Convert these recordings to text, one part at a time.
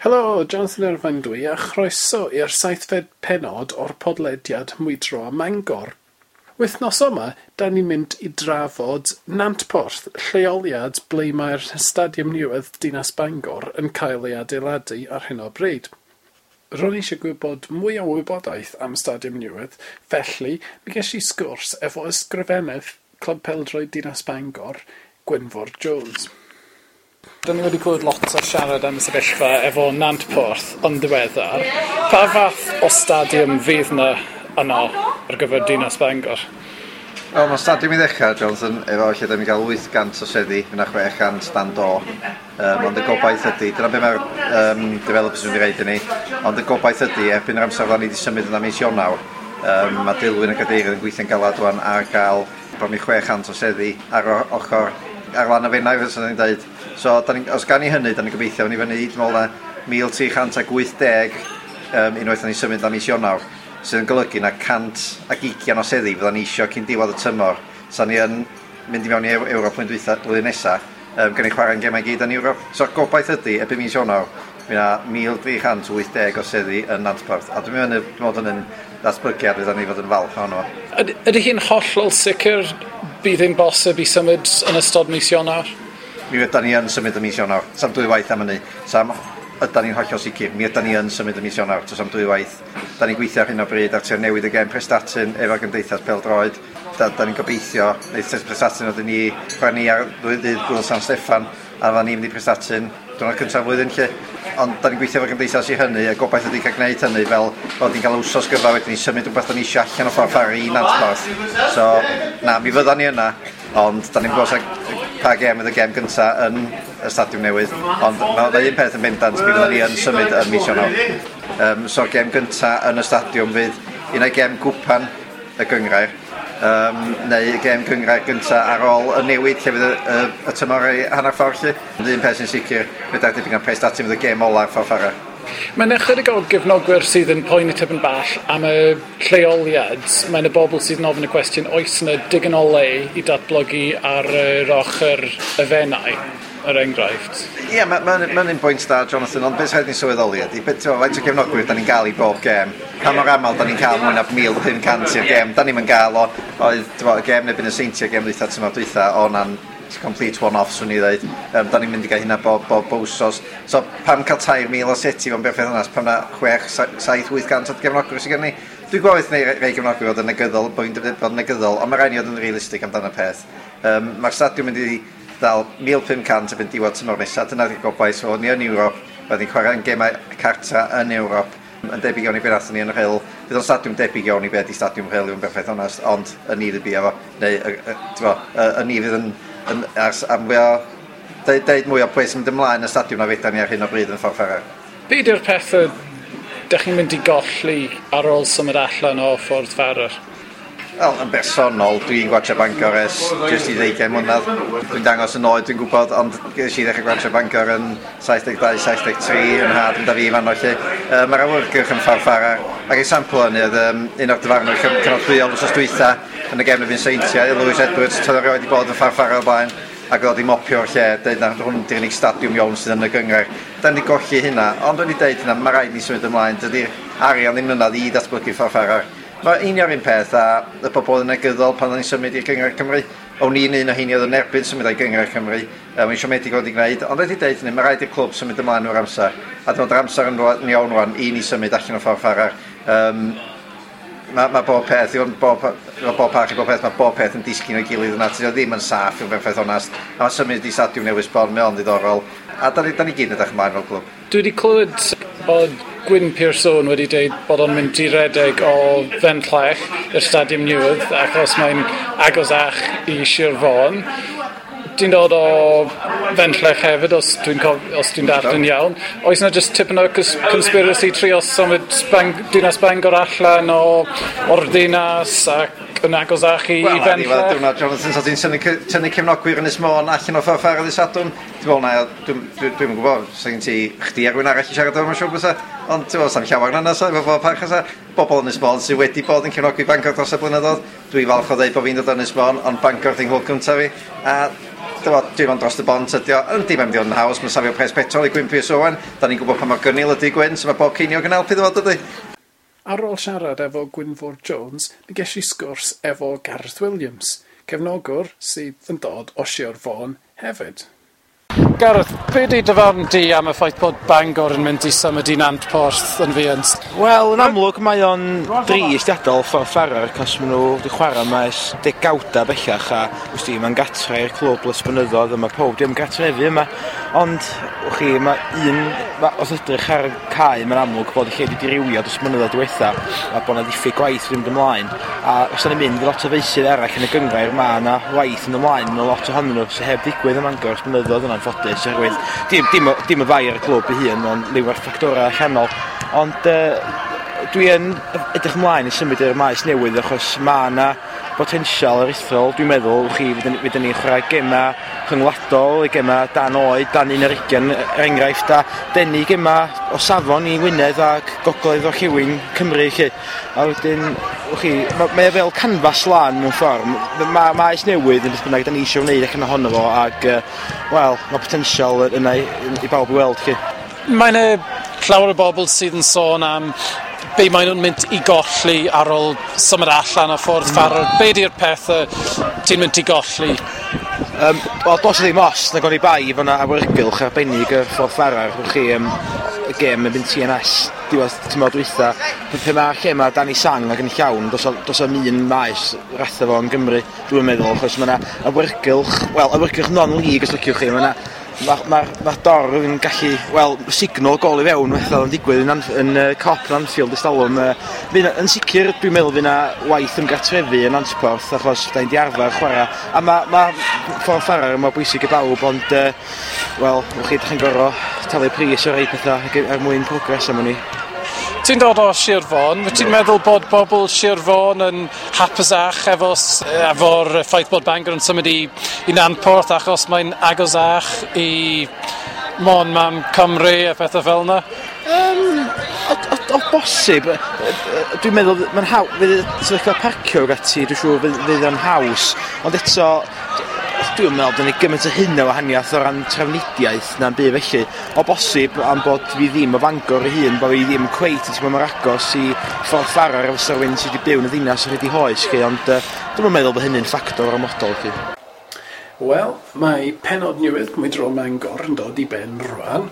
Helo, Jonathan Irvine dwi a chroeso i'r seithfed pennod o'r podlediad Mwydro a Mangor. Wythnos yma, da ni'n mynd i drafod Nantporth, lleoliad ble mae'r Stadiwm Newydd Dinas Bangor yn cael ei adeiladu ar hyn o bryd. Ro'n i eisiau gwybod mwy o wybodaeth am Stadiwm Newydd, felly mi ges i sgwrs efo ysgrifennydd Clwb Pêl-droed Dinas Bangor, Gwynfor Jones. Da ni wedi clywed lot o siarad am y sefyllfa efo Nantporth yn ddiweddar. Pa fath o stadiwm fydd yna yno ar gyfer Dinas Bangor? Wel, mae stadiwm i ddechrau, Jonathan, efo lle da ni'n cael 800 o seddi, yna 600 dan do. Ond y gobaith ydy, dyna be mae'r developers yn wedi reid i ni, ond y gobaith ydy, erbyn yr amser fydda ni wedi symud yna mis Ionawr, mae Dilwyn y Cadeirydd yn gweithio'n galad rwan ar gael bron i 600 o seddi ar ochr ar lan y Fenai, fyswn i'n dweud. So, da ni, os gan ni hynny, da ni'n gobeithio ni fyny, dwi'n meddwl na 1380 unwaith da ni'n symud am mis Ionawr, sydd yn golygu na 120 o seddi fydda ni isio cyn diwedd y tymor. So ni yn mynd i mewn i Ewrop blwyddyn nesaf, gan i chwarae'n gemau gyd yn Ewrop. So gobaith ydy, erbyn mis Ionawr, mi na 1380 o seddi yn Nantporth. A dwi'n meddwl yn ddatblygiad fydda ni fod yn falch ohono. Ydy hi'n hollol sicr bydd hi'n bosib i symud yn ystod mis Ionawr? Mi ydan ni yn symud y mis Ionawr. Sa'm dwy waith am hynny. Sa'm ydan ni'n hollol sicr. Mi ydan ni yn symud y mis Ionawr. Does am dwy waith. Da ni'n gweithio ar hyn o bryd ar trio newid y gêm Prestatyn efo'r Gymdeithas Pêl-droed. Da ni'n gobeithio, neu Prestatyn oedden ni chwarae ni ar ddydd Gŵyl San Steffan, a fydda ni'n mynd i Prestatyn diwrnod cyntaf flwyddyn lle. Ond da ni'n gweithio efo'r gymdeithas i hynny, a gobaith ydy cael gwneud hynny fel bod ni'n cael wsos gyfa wedyn ni symud rhywbeth da ni eisiau allan o Ffordd Ffarrar i Nantporth. So, na, mi fydda ni yna, ond da ni'n gwybod pa gêm fydd y gêm gynta yn y stadiwm newydd, ond mae un peth yn bendant, mi fydda ni yn symud yn mis Ionawr. So'r gêm gynta yn y stadiwm fydd un o'i gêm gwpan y gynghrair, neu y gêm gynghrair gynta ar ôl y newid lle fydd y tymor ei hanner ffordd lle. Ond un peth sy'n sicr, fedra debyg na Prestatyn fydd y gêm ola'r Ffordd Ffarrar. Mae'n ychydig o gefnogwyr sydd yn poeni tipyn bach am y lleoliad. Mae'n y bobl sydd yn ofyn y cwestiwn, oes yna digon o le i datblygu ar yr ochr y Fenai, er enghraifft? Ie, yeah, mae'n ma un pwynt da, Jonathan, ond beth rhaid ni sylweddoli ydy, faint o gefnogwyr da ni'n gael i bob gêm, pa mor aml da ni'n cael mwy na 1,500 i'r gêm, da ni'n gael o, oedd y gêm neu y Seintiau, gêm dwytha, tymor dwytha, o na'n complete one-off, swn i ddweud. Da ni'n mynd i gael hynna bob wsos. So, pam cael 3,000 o seti fo'n berffaith onast, pam na 6, 7, 800 o gefnogwyr sydd gen ni. Dwi'n gwybod neu rei gefnogwyr fod yn negyddol, bod fi'n bod yn negyddol, ond mae rhaid ni fod yn realistig amdano peth. Mae'r stadiwm mynd i ddal 1,500 erbyn diwedd tymor nesaf, dyna'r gobaith. So, ni yn Ewrop, byddwn ni'n chwarae'n gemau cartra yn Ewrop, yn debyg iawn i beth nathon ni yn y Rhyl. Bydd o'n stadiwm debyg iawn i beth i stadiwm Rhyl, i fod yn berffaith onast, ond y ni fydd bia fo, neu y ni fydd yn am mwy o deud mwy o pwy sy'n mynd ymlaen y stadiwm na fedra ni ar hyn o bryd yn Ffordd Ffarrar. Be ydy'r pethau dych chi'n mynd i golli ar ôl symud allan o Ffordd Ffarrar? Wel, yn bersonol, dwi'n gwatsio Bangor ers jyst i 20 mlynedd. Dwi'n dangos yn oed, dwi'n gwybod, ond ges i ddechrau gwatsio Bangor yn 72, 73, yn nhad yn da fi fan lle. Mae'r awyrgylch yn Ffordd Ffarrar. Ac example hynny oedd un o'r dyfarnwyr cynorthwyol wsos dwytha yn y gêm erbyn Seintiau, Lewis Edwards, toedd o erioed wedi bod yn Ffordd Ffarrar o'r blaen, ac oedd wedi mopio'r lle, dweud na hwn di'r unig stadiwm iawn sydd yn y gynghrair. Da ni golli hynna, ond wedi deud hynna, mae rhaid ni symud ymlaen, dydy'r arian ddim yna i ddatblygu Ffordd Ffarrar. Mae union un peth a y bobl yn negyddol pan o'n i'n symud i'r Gynghrair Cymru. O'n i'n un o heini oedd yn erbyn symud i Gynghrair Cymru. Mae'n siomedig wedi gwneud, ond wedi deud hynny, mae rhaid i'r clwb symud ymlaen o'r amser. A dwi'n meddwl yr amser yn iawn rwan i ni symud allan o Ffordd Ffarrar. Mae bob peth, i fod bob parch i bob peth, mae bob peth yn disgyn o'i gilydd yna. Tydi o ddim yn saff, i'w berffaith onast. A mae symud i stadiwm newydd sbon, mae o'n ddiddorol. A da ni gyd yn edrych ymlaen fel clwb. Dwi wedi clywed bod Gwyn Pearson wedi dweud bod o'n mynd i redeg o Fenllech i'r Stadiwm Newydd achos mae'n agosach i Sir Fôn. Ti'n dod o Fenllech hefyd, os dwi'n darllen iawn. Oes yna jyst tipyn o conspiracy trio symud Dinas Bangor allan o'r dinas ac yn agosach i Fenllech? Wel, diwrnod, Jonathan, so ti'n tynnu cefnogwyr Ynys Môn allan o Ffordd Ffarrar ddydd Sadwrn? Dwi'n meddwl na, dwi'n gwybod, sa gen ti chdi a rhywun arall i siarad efo, mae'n siŵr bysa. Ond ti'n meddwl, sa'm llawer na sa, efo bob parch sa. Bobl Ynys Môn sydd wedi bod yn cefnogi Bangor dros y blynyddoedd. Dwi'n falch o ddeud bod fi'n dod o Ynys Môn, ond Bangor di'n nghlwb cyntaf fi. A Dwi'n mynd dros y bont ydi o. Yndi, mae'n mynd i fod yn haws, mae'n safio pres petrol i Gwyn Pierce Owen. Da ni'n gwybod pa mor gynnil ydy Gwyn, so mae bob ceiniog yn helpu iddo fo, dydy? Ar ôl siarad efo Gwynfor Jones, mi ges i sgwrs efo Gareth Williams, cefnogwr sydd yn dod o Sir Fôn hefyd. Gareth, be di dy farn di am y ffaith bod Bangor yn mynd i symud i Nantporth yn fuan? Wel, yn amlwg mae o'n drist i adael Ffordd Ffarar, cos maen nhw wedi chwarae yma ers degawda bellach a wsti, mae'n gatre i'r clwb ers blynyddoedd a mae pob dim gartrefi yma. Ond, wch chi, mae un, ma, os ydrych ar y cae, mae'n amlwg bod y lle wedi dirywio dros blynyddoedd diwetha a bod yna ddiffyg gwaith wedi mynd ymlaen. A os yna mynd i lot o feysydd eraill yn y gynghrair, mae yna waith yn ymlaen mewn lot ohonyn nhw sydd heb ddigwydd ym Mangor ers blynyddoedd yn anffodus, oherwydd dim y fai ar y clwb ei hun, ond liw ar ffactorau allanol. Ond dwi yn edrych ymlaen i symud i'r maes newydd achos mae yna potensial aruthrol, dwi'n meddwl, chi, fydden ni'n chwarae gemau rhyngwladol, gemau dan oed, dan 21, er enghraifft, a denu gemau o safon i Wynedd ac gogledd orllewin Cymru, lle. A wedyn, chi, mae e fel canfas lan mewn ffordd. Mae maes newydd yn beth bynnag da ni eisiau wneud allan ohono fo, ac, wel, mae potensial yna i bawb i weld, chi. Mae yna llawer o bobl sydd yn sôn am be maen nhw'n mynd i golli ar ôl symud allan o Ffordd Ffarar. Be di'r pethau ti'n mynd i golli? Wel, dos ddim os, na goni bai fod yna awyrgylch arbennig y Ffordd Ffarar. Wch chi, y gêm yn mynd TNS diwedd tymor dwytha. Pe mae'r lle mae Danny Sang ac yn llawn, dos am un maes ratha fo yn Gymru, dwi'n meddwl, achos mae yna awyrgylch, wel, awyrgylch non-league os liciwch chi, mae yna Mae'r dorf yn gallu, wel, signal gol i fewn fatha oedd yn digwydd yn Kop yn Anfield ers talwm. Yn sicr, dwi'n meddwl fydd yna waith ymgartrefu yn Nantporth, achos da ni'n di arfer chwarae. A mae Ffordd Ffarar mor bwysig i bawb, ond, wel, wch chi, dych chi'n gorfod talu pris o rei pethau er mwyn progress am hynny. Ti'n dod o Sir Fôn, wyt ti'n meddwl bod bobl Sir Fôn yn hapusach efo'r ffaith bod Bangor yn symud i Nantporth achos mae'n agosach i Môn Mam Cymru a phethau fel yna? O bosib, dwi'n meddwl, mae'n haw, fydd sefyllfa parcio ag ati, dwi'n siŵr fydd o'n haws, ond eto, dwi'n meddwl bod ni gymaint o hynna o wahaniaeth o ran trafnidiaeth na'n byd felly. O bosib am bod fi ddim o Fangor ei hun, bod fi ddim cweit yn teimlo mor agos i Ffordd Ffarar efo rhywun sydd wedi byw yn y ddinas ar hyd ei hoes chi, ond dwi'm yn meddwl bod hynny'n ffactor ormodol chi. Wel, mae pennod newydd Mwydro Mangor yn dod i ben rwan.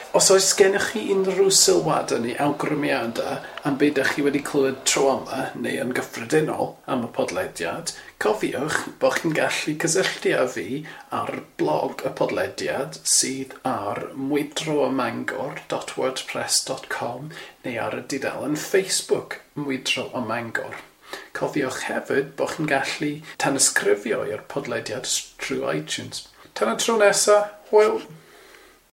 Os oes gennych chi unrhyw sylwadau neu awgrymiadau am be ydych chi wedi clywed tro yma neu yn gyffredinol am y podlediad, cofiwch bod chi'n gallu cysylltu â fi ar blog y podlediad sydd ar mwydroamangor.wordpress.com neu ar y dudalen Facebook Mwydro a Mangor. Cofiwch hefyd bod chi'n gallu tanysgrifio i'r podlediad trwy iTunes. Tan y tro nesaf, hwyl!